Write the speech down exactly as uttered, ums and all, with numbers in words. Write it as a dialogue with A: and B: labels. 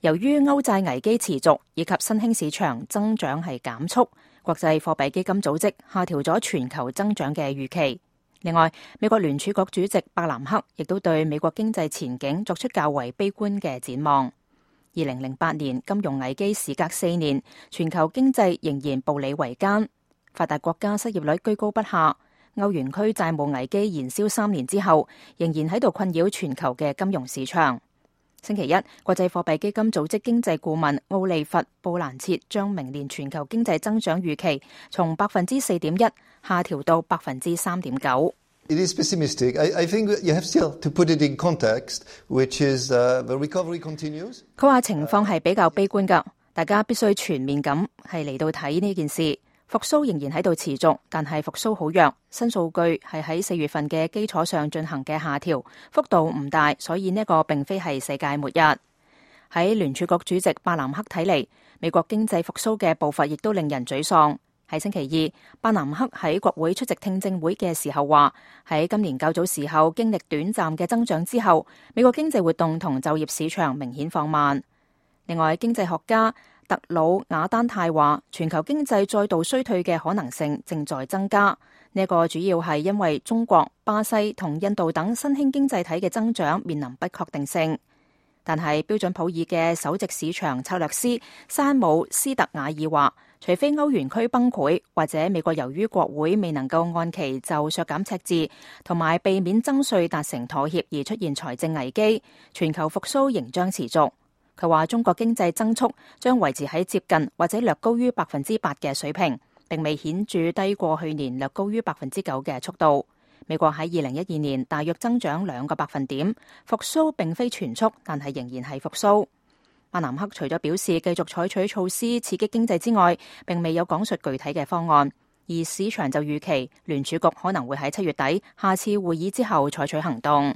A: 由於歐債危機持續以及新興市場增長係減速，國際貨幣基金組織下調咗全球增長嘅預期。另外，美國聯儲局主席伯南克亦都對美國經濟前景作出較為悲觀嘅展望。二零零八年金融危機時隔四年，全球經濟仍然步履維艱，發達國家失業率居高不下，歐元區債務危機燃燒三年之後，仍然喺度困擾全球嘅金融市場。星期一，國際貨幣基金組織經濟顧問奧利弗·布蘭切將明年全球經濟增長預期從百分之四點一下調到百分之三點九。
B: It is pessimistic. I, I think you have still to put it in context, which is uh, the recovery continues.
A: 佢話情況係比較悲觀㗎，大家必須全面咁係嚟到睇呢件事。復甦仍然喺度持續，但係復甦好弱。新數據係喺四月份嘅基礎上進行嘅下調，幅度唔大，所以呢個並非係世界末日。喺聯儲局主席伯南克睇嚟，美國經濟復甦嘅步伐亦都令人沮喪。喺星期二，伯南克喺國會出席聽證會嘅時候話，喺今年較早時候經歷短暫嘅增長之後，美國經濟活動同就業市場明顯放慢。另外，經濟學家特魯瓦丹泰話，全球經濟再度衰退嘅可能性正在增加。呢個主要係因為中國、巴西同印度等新興經濟體嘅增長面臨不確定性。但係標準普爾嘅首席市場策略師山姆斯特瓦爾話，除非歐元區崩潰，或者美國由於國會未能夠按期就削減赤字同埋避免增稅達成妥協而出現財政危機，全球復甦仍將持續。佢話中國經濟增速將維持喺接近或者略高於百分之八嘅水平，並未顯著低過去年略高於百分之九嘅速度。美國喺二零一二年大約增長兩個百分點，復甦並非全速，但係仍然係復甦。伯南克除咗表示繼續採取措施刺激經濟之外，並未有講述具體嘅方案，而市場就預期聯儲局可能會喺七月底下次會議之後採取行動。